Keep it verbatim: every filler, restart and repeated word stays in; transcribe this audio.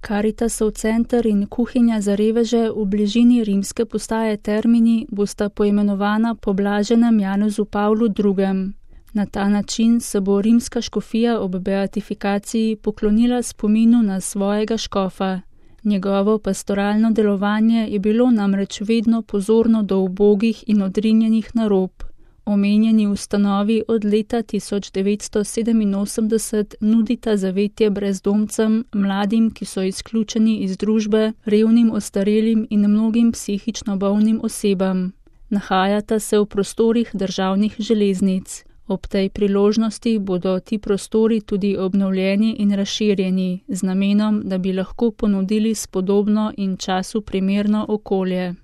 Karitasov center in kuhinja za reveže v bližini rimske postaje Termini bosta poimenovana po blaženem Janezu Pavlu drugem. Na ta način se bo rimska škofija ob beatifikaciji poklonila spominu na svojega škofa. Njegovo pastoralno delovanje je bilo namreč vedno pozorno do ubogih in odrinjenih na rob. Omenjeni ustanovi od leta tisoč devetsto sedeminosemdeset nudita zavetje brezdomcem, mladim, ki so izključeni iz družbe, revnim ostarelim in mnogim psihično bolnim osebam. Nahajata se v prostorih državnih železnic. Ob tej priložnosti bodo ti prostori tudi obnovljeni in razširjeni, z namenom, da bi lahko ponudili spodobno in času primerno okolje.